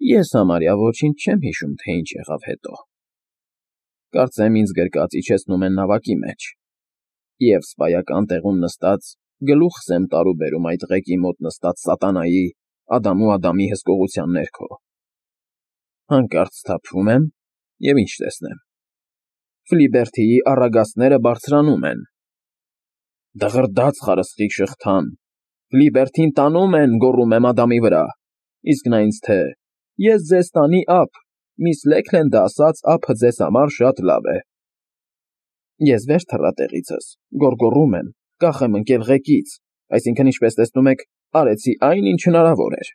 Ես համարյա ոչինչ չեմ հիշում, թե ինչ եղավ հետո. կարծեմ ինձ գրկած իջեցնում են նավակի մեջ, և սպայական տեղում նստած գլուխս եմ տարուբերում այդ ղեկի մոտ նստած սատանայի, Ադամու Ադամի հսկողության ներքո։ Հանկարծ սթափվում եմ, և ինչ տեսնեմ. Ֆլիբերթիի առագաստները բարձրանում են. «Դղրդաց խարսխի շղթան, Ֆլիբերթին տանում են», գոռում եմ Ադամի վրա, իսկ նա ինձ թե. «Ես ձեզ տանի ափ, միս Լեքլենդը ասաց ափը ձեզ համար շատ լավ է»։ Ես վեր թռա տեղիցս, գոռգոռում եմ, կախ եմ ընկել ղեկից, այսինքն, ինչպես տեսնում եք, արեցի այն, ինչ հնարավոր էր,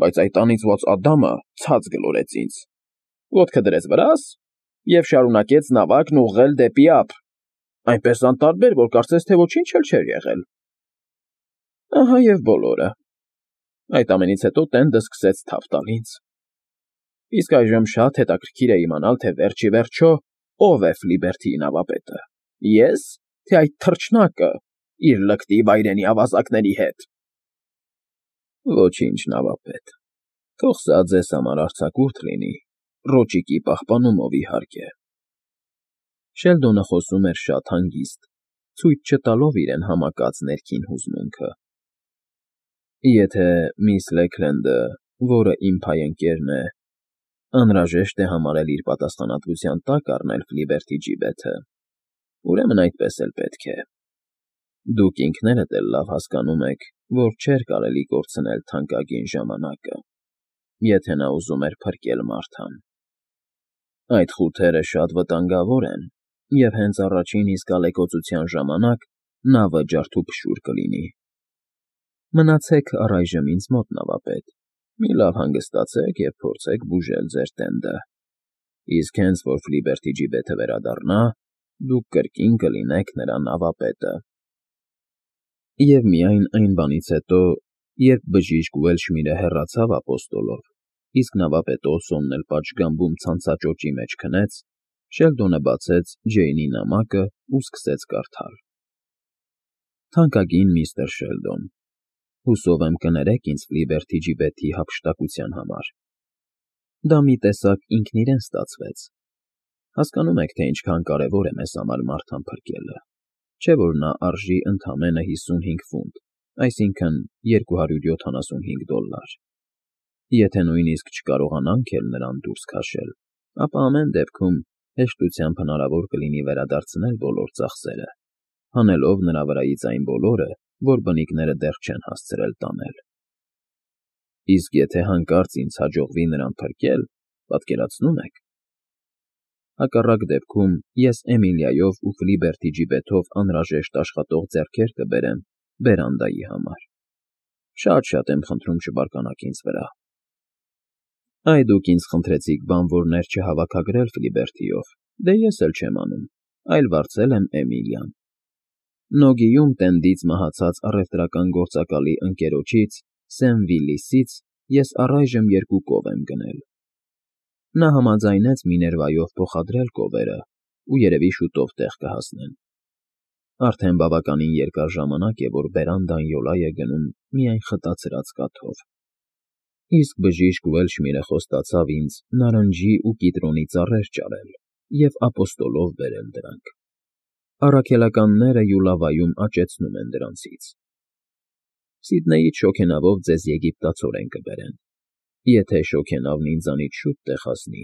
բայց այդ անիծված Ադամը ցած գլորեց ինձ, ոտքը դրեց վրաս և շարունակեց նավակն ուղղել դեպի ափ, այնպես անտարբեր, որ կարծես թե ոչինչ էլ չէր եղել։ Ահա և բոլորը։ Այդ ամենից հետո տենդը սկսեց թավ տալ ինձ։ Իսկ այժմ շատ հետաքրքիր է իմանալ, թե վերջ ի վերջո ով է Ֆլիբերթիի նավապետը՝ ես, թե այդ թռչնակը իր լկտի վայրենի ավազակների հետ։ Ոչինչ, նավապետ, թող սա ձեզ համար արձակուրդ լինի, Ռոճիկի պահպանումով, իհարկե։ Շելդոնը խոսում էր շատ հանգիստ, ցույց չտալով իրեն համակած ներքին հուզմունքը։ Եթե միս Լեքլենդը, որը իմ փայընկերն է, անհրաժեշտ է համարել իր պատասխանատվության տակ առնել Ֆլիբերթի ջիբեթը, ուրեմն այդպես էլ պետք է։ Դուք ինքներդ էլ լավ հասկանում եք, որ չէր կարելի կորցնել թանկագին ժամանակը, եթե նա ուզում էր փրկել Մարթան։ Այդ խութերը շատ վտանգավոր են, և հենց առաջին իսկ ալեկոծության ժամանակ նավը ջարդուփշուր կլինի։ Մնացեք առայժմ ինձ մոտ, նավապետ, մի լավ հանգստացեք և փորձեք բուժել ձեր տենդը, իսկ հենց որ Ֆլիբերթի ջիբեթը վերադառնա, դուք կրկին կլինեք նրա նավապետը։ Եվ միայն այն բանից հետո, երբ բժիշկ Ուելշմիրը հեռացավ ապոստոլով, իսկ նավապետ Օսոնն էլ պատշգամբում ցանցաճոճի մեջ քնեց, Շելդոնը բացեց Ջեյնի նամակը ու սկսեց կարդալ. Թանկագին միստր Շելդոն, հուսով եմ կներեք ինձ Ֆլիբերթի ջիբեթի հափշտակության համար։ Դա մի տեսակ ինքն իրեն ստացվեց։ Հասկանում եք, թե ինչքան կարևոր է մեզ համար Մարթան փրկելը, չէ՞ որ նա արժի ընդամենը 55 ֆունտ, այսինքն $275։ Եթե նույնիսկ չկարողանանք էլ նրան դուրս քաշել, ապա ամեն դեպքում հեշտությամբ հնարավոր կլինի վերադարձնել բոլոր ծախսերը, հանելով նրա վրայից այն բոլորը, որ բնիկները դեռ չեն հասցրել տանել։ Իսկ եթե հանկարծ ինձ հաջողվի նրան փրկել, պատկերացնո՞ւմ եք։ Հակառակ դեպքում ես Էմիլիայով ու Ֆլիբերթի ջիբեթով անհրաժեշտ աշխատող ձեռքեր կբերեմ բերանդայի համար։ Շատ եմ խնդրում չբարկանաք ինձ վրա։ Այ դուք ինձ խնդրեցիք բանվորներ չհավաքագրել Ֆլիբերթիով, դե ես էլ չեմ անում, այլ վարձել եմ Էմիլիան։ Նոգիում տենդից մահացած առևտրական գործակալի ընկերոջից՝ Սեմ Վիլիսից ես առայժմ 2 կով եմ գնել։ Նա համաձայնեց Միներվայով փոխադրել կովերը ու երևի շուտով տեղ կհասնեն։ Արդեն բավականին երկար ժամանակ է, որ բերանդան յոլա է գնում միայն խտացրած կաթով։ Իսկ բժիշկ Ուելշմիրը խոստացավ ինձ նարնջի ու կիտրոնի ծառեր ճարել և ապոստոլով բերել դրանք։ Առաքելականները Յուլավայում աճեցնում են դրանցից։ Սիդնեյից շոգենավով ձեզ եգիպտացորեն կբերեն։ Եթե շոգենավն ինձանից շուտ տեղ հասնի,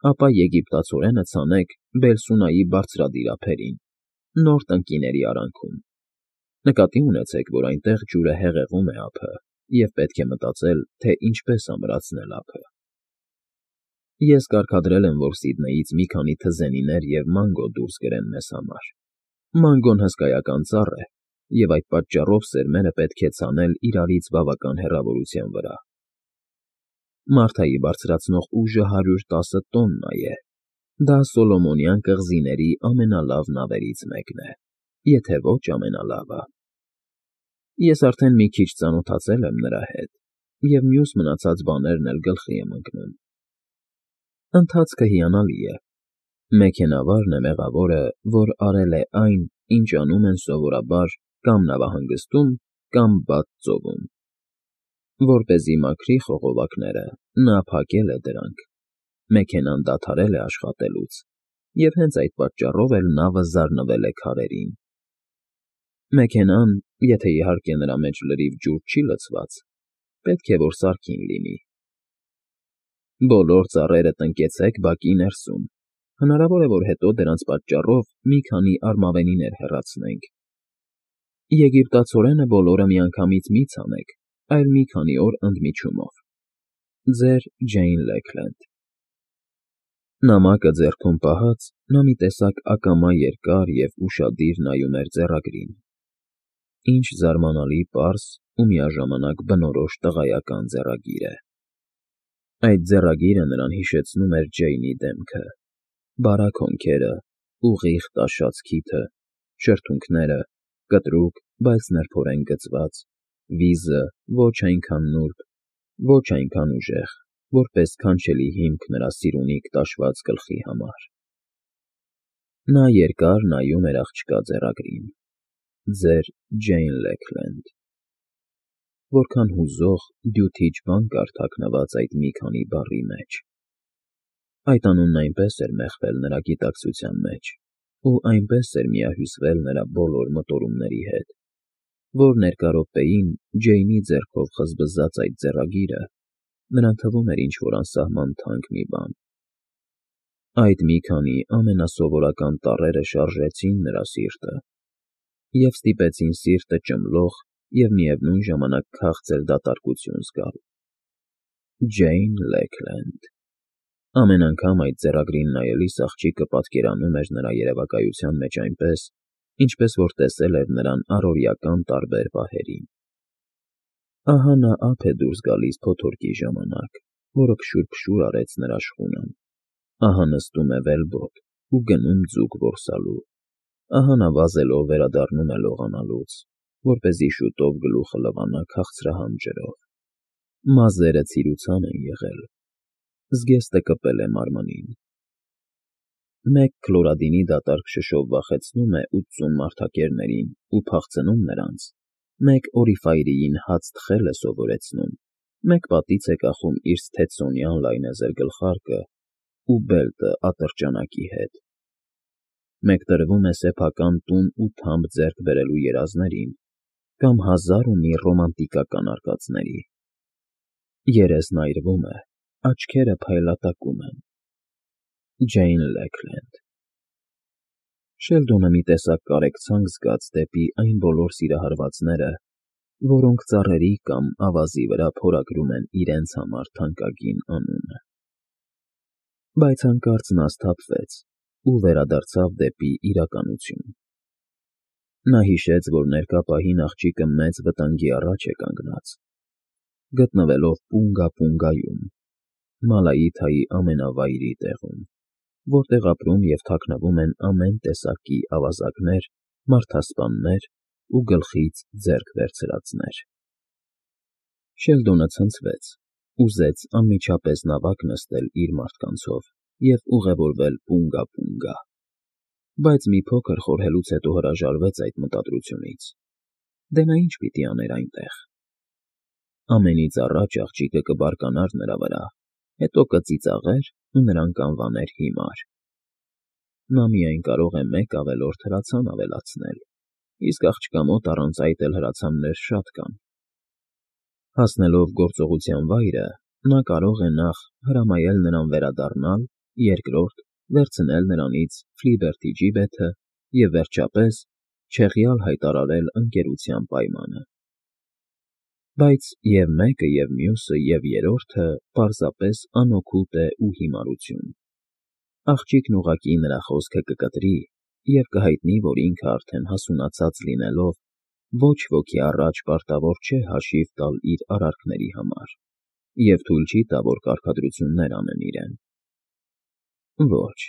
ապա եգիպտացորենը ցանեք Բելսունայի բարձրադիր ափերին, նոր տնկիների արանքում։ Նկատի ունեցեք, որ այնտեղ ջուրը հեղեղում է ափը, և պետք է մտածել, թե ինչպես ամրացնել ափը։ Ես կարգադրել եմ, որ Սիդնեյից մի քանի թզենիներ և մանգո դուրս գրեն մեզ համար։ Մանգոն հսկայական ծառ է, և այդ պատճառով սերմերը պետք է ցանել իրարից բավական հեռավորության վրա։ Մարթայի բարձրացնող ուժը 110 տոննա է։ Դա Սոլոմոնյան կղզիների ամենալավ նավերից մեկն է, եթե ոչ ամենալավը։ Ես արդեն մի քիչ ծանոթացել եմ նրա հետ, և մյուս մնացած բաներն էլ գլխի եմ ընկնում։ Ընթացքը հիանալի է։ Մեքենավարն է մեղավորը, որ արել է այն, ինչ անում են սովորաբար կամ նավահանգստում, կամ բաց ծովում։ Որպեսզի մաքրի խողովակները, նա փակել է դրանք, մեքենան դադարել է աշխատելուց, և հենց այդ պատճառով էլ նավը զարնվել է քարերին։ Մեքենան, եթե իհարկե նրա մեջ լրիվ ջուր չի լցված, պետք է որ սարքին լինի։ Բոլոր ծառերը տնկեցեք բակի ներսում, հնարավոր է, որ հետո դրանց պատճառով մի քանի արմավենիներ հեռացնենք։ Եգիպտացորենը բոլորը միանգամից մի ցանեք, այլ մի քանի օր ընդմիջումով։ Ձեր Ջեյն Լեքլենդ։ Նամակը ձեռքում պահած, նա մի տեսակ ակամա երկար և ուշադիր նայում էր ձեռագրին։ Ինչ զարմանալի պարզ ու միաժամանակ բնորոշ տղայական ձեռագիր է։ Այդ ձեռագիրը նրան հիշեցնում էր Ջեյնի դեմքը, բարակ հոնքերը, ուղիղ տաշած քիթը, շրթունքները, կտրուկ, բայց նրբորեն գծված, վիզը ոչ այնքան նուրբ, ոչ այնքան ուժեղ, որպես քանչելի հիմք նրա սիրունիկ տաշված գլխի համար։ Նա երկար նայում էր աղջկա ձեռագրին. Ձեր Ջեյն Լեքլենդ։ Որքան հուզող, դյութիչ բան կար թաքնված այդ մի քանի բառի մեջ։ Այդ անունն այնպես էր մեխվել նրա գիտակցության մեջ, ու այնպես էր միահյուսվել նրա բոլոր մտորումների հետ, որ ներկա րոպեին Ջեյնի ձեռքով խզբզած այդ ձեռագիրը նրան թվում էր ինչ֊որ անսահման թանկ մի բան։ Այդ մի քանի ամենասովորական տառերը շարժեցին նրա սիրտը և ստիպեցին սիրտը ճմլող և միևնույն ժամանակ քաղցր դատարկություն զգալ։ Ջեյն Լեքլենդ։ Ամեն անգամ այդ ձեռագրին նայելիս աղջիկը պատկերանում էր նրա երևակայության մեջ այնպես, ինչպես որ տեսել էր նրան առօրեական տարբեր պահերին։ Ահա նա ափ է դուրս գալիս փոթորկի ժամանակ, որը փշուր արեց նրա շխունան, ահա նստում է վելբոտ ու գնում ձուկ որսալու, ահա նա վազելով վերադառնում է լողանալուց, որպեսզի շուտով գլուխը լվանա քաղցրահամ ջրով։ Մազերը ցիրուցան են եղել, զգեստը կպել է մարմնին։ Մեկ քլորադինի դատարկ շշով վախեցնում է 80 մարդակերներին ու փախցնում նրանց, մեկ օրիֆայրիին հաց թխել է սովորեցնում, մեկ պատից է կախում իր սթեցսոնյան լայնեզր գլխարկը ու բելտը ատրճանակի հետ, մեկ տրվում է սեփական տուն ու թամբ ձեռք բերելու երազներին կամ հազար ու մի ռոմանտիկական արկածների։ Երեսն այրվում է, աչքերը փայլատակում են։ Ջեյն Լեքլենդ։ Շելդոնը մի տեսակ կարեկցանք զգաց դեպի այն բոլոր սիրահարվածները, որոնք ծառերի կամ ավազի վրա փորագրում են իրենց համար թանկագին անունը։ Բայց հանկարծ նա սթափվեց ու վերադարձավ դեպի իրականություն։ Նա հիշեց, որ ներկա պահին աղջիկը մեծ վտանգի առաջ է կանգնած, գտնվելով Պունգա֊Պունգայում, Մալայիթայի ամենավայրի տեղում, որտեղ ապրում և թաքնվում են ամեն տեսակի ավազակներ, մարդասպաններ ու գլխից ձեռք վերցրածներ։ Շելդոնը ցնցվեց, ուզեց անմիջապես նավակ նստել իր մարդկանցով և ուղևորվել Պունգա֊Պունգա, բայց մի փոքր խորհելուց հետո հրաժարվեց այդ մտադրությունից։ Դե նա ինչ պիտի աներ այնտեղ։ Ամենից առաջ աղջիկը կբարկանար նրա վրա, հետո կծիծաղեր ու նրան կանվաներ հիմար։ Նա միայն կարող է մեկ ավելորդ հրացան ավելացնել, իսկ աղջկա մոտ առանց այդ էլ հրացաններ շատ կան։ Հասնելով գործողության վայրը, նա կարող է նախ հրամայել նրան վերադառնալ, երկրորդ՝ վերցնել նրանից Ֆլիբերթի ջիբեթը և, վերջապես, չեղյալ հայտարարել ընկերության պայմանը։ Բայց և մեկը, և մյուսը, և երրորդը պարզապես անօգուտ է ու հիմարություն։ Աղջիկն ուղղակի նրա խոսքը կկտրի և կհայտնի, որ ինքը արդեն հասունացած լինելով, ոչ ոքի առաջ պարտավոր չէ հաշիվ տալ իր արարքների համար և թույլ չի տա, որ կարգադրություններ անեն իրեն։ Ոչ,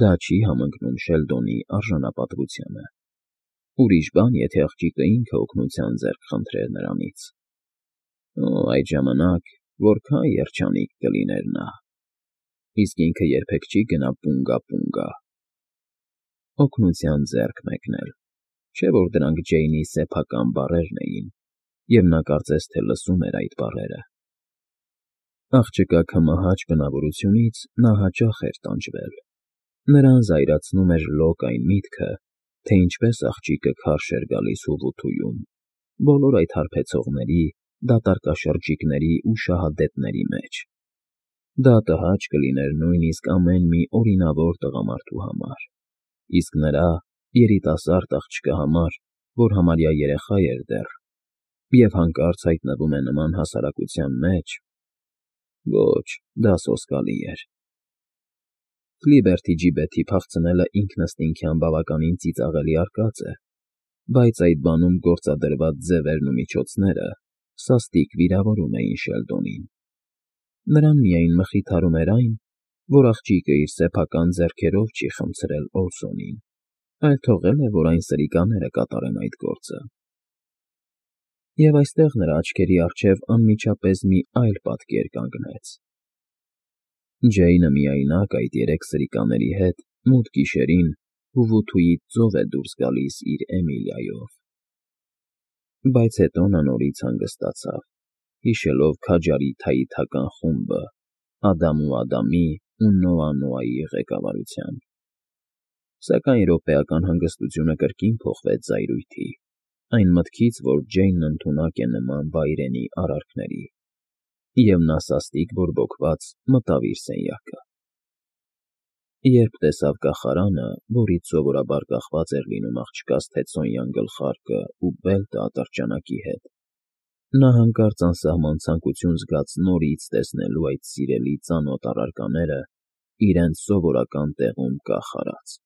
դա չի համընկնում Շելդոնի արժանապատվությանը։ Ուրիշ բան, եթե աղջիկը ինքը օգնության ձեռք խնդրեր նրանից։ Այդ ժամանակ որքան երջանիկ կլիներ նա։ Իսկ ինքը երբեք չի գնա Պունգա֊Պունգա։ Օգնության ձեռք մեկնել, չէ՞ որ դրանք Ջեյնի սեփական բառերն էին, և նա կարծես թե լսում էր այդ բառերը։ Աղջկա քմահաճ բնավորությունից նա հաճախ էր տանջվել։ Նրան զայրացնում էր լոկ այն միտքը, թե ինչպես աղջիկը քարշ էր գալիս Ուվութույում, բոլոր այդ հարբեցողների, դատարկաշրջիկների ու շահադետների մեջ։ Դա տհաճ կլիներ նույնիսկ ամեն մի օրինավոր տղամարդու համար, իսկ նրա երիտասարդ աղջկա համար, որ համարյա երեխա էր դեռ, և հանկարծ հայտնվում է նման հասարակության մեջ… Ոչ, դա սոսկալի էր։ Ֆլիբերթիջիբեթի փախցնելը ինքնըստինքյան բավականին ծիծաղելի արկած է, բայց այդ բանում գործադրված ձևերն ու միջոցները սաստիկ վիրավորում էին Շելդոնին։ Նրան միայն մխիթարում էր այն, որ աղջիկը իր սեփական ձեռքերով չի խմցրել Օլսոնին, այլ թողել է, որ այն սրիկաները կատարեն այդ գործը։ Եվ այստեղ նրա աչքերի առջև անմիջապես մի այլ պատկեր կանգնեց. Ջեյնը միայնակ այդ երեք սրիկաների հետ մութ գիշերին Ուվութույից ծով է դուրս գալիս իր Էմիլիայով։ Բայց հետո նա նորից հանգստացավ, հիշելով քաջարի թաիթական խումբը Ադամու Ադամի ու Նոա Նոայի ղեկավարությամբ։ Սակայն րոպեական հանգստությունը կրկին փոխվեց զայրույթի, այն մտքից, որ Ջեյնն ընդունակ է նման վայրենի արարքների, և նա սաստիկ բորբոքված մտավ իր սենյակը։ Երբ տեսավ կախարանը, որից սովորաբար կախված էր լինում աղջկա Սթեցոնյան գլխարկը ու բելտը ատրճանակի հետ, նա հանկարծ անսահման ցանկություն զգաց նորից տեսնելու այդ սիրելի ծանոթ առարկաները իրենց սովորական տեղում կախ արած։